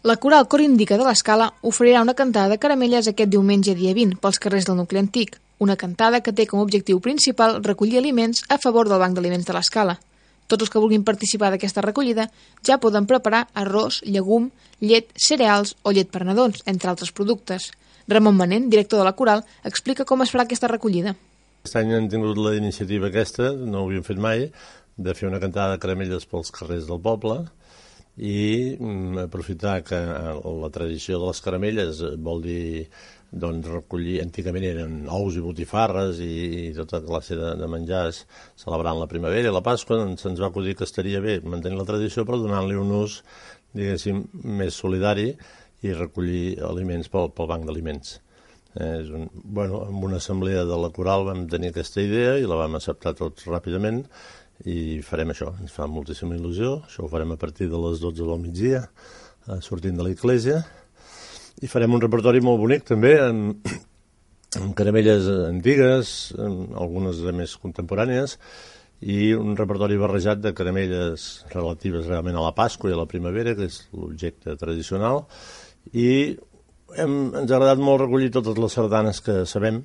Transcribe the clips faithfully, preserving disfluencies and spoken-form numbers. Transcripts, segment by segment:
La coral Cor Indica de l'Escala oferirà una cantada de caramelles aquest diumenge dia vint pels carrers del nucli antic, una cantada que té com a objectiu principal recollir aliments a favor del Banc d'Aliments de l'Escala. Tots els que vulguin participar d'aquesta recollida ja poden preparar arròs, llegum, llet, cereals o llet per nadons, entre altres productes. Ramon Manent, director de la coral, explica com es farà aquesta recollida. Aquest any hem tingut la iniciativa aquesta, no ho havíem fet mai, de fer una cantada de caramelles pels carrers del poble i aprofitar que la tradició de les caramelles vol dir doncs, recollir, antigament eren ous i botifarres i, i tota classe de, de menjars celebrant la primavera i la Pasqua, doncs se'ns va acudir que estaria bé mantenir la tradició però donant-li un ús, diguéssim, més solidari i recollir aliments pel, pel banc d'aliments. Eh, és un, bueno, en una assemblea de la coral vam tenir aquesta idea i la vam acceptar tots ràpidament i farem això, ens fa moltíssima il·lusió, això ho farem a partir de les dotze del migdia, eh, sortint de l'església, i farem un repertori molt bonic també, amb, amb caramelles antigues, amb algunes més contemporànies, i un repertori barrejat de caramelles relatives realment a la Pasqua i a la primavera, que és l'objecte tradicional, i hem, ens ha agradat molt recollir totes les sardanes que sabem,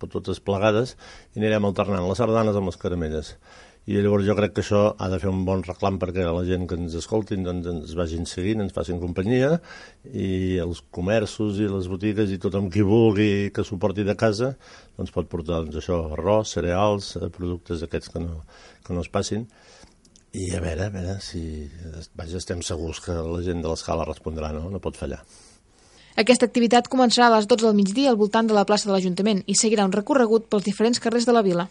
totes plegades, i anirem alternant les sardanes amb les caramelles. I llavors jo crec que això ha de fer un bon reclam perquè la gent que ens escoltin doncs, ens vagin seguint, ens facin companyia i els comerços i les botigues i tothom qui vulgui que s'ho porti de casa doncs pot portar doncs, això, arròs, cereals, productes aquests que no, que no es passin i a veure, a veure si vaja, estem segurs que la gent de l'Escala respondrà, no? No pot fallar. Aquesta activitat començarà a les dotze del migdia al voltant de la plaça de l'Ajuntament i seguirà un recorregut pels diferents carrers de la vila.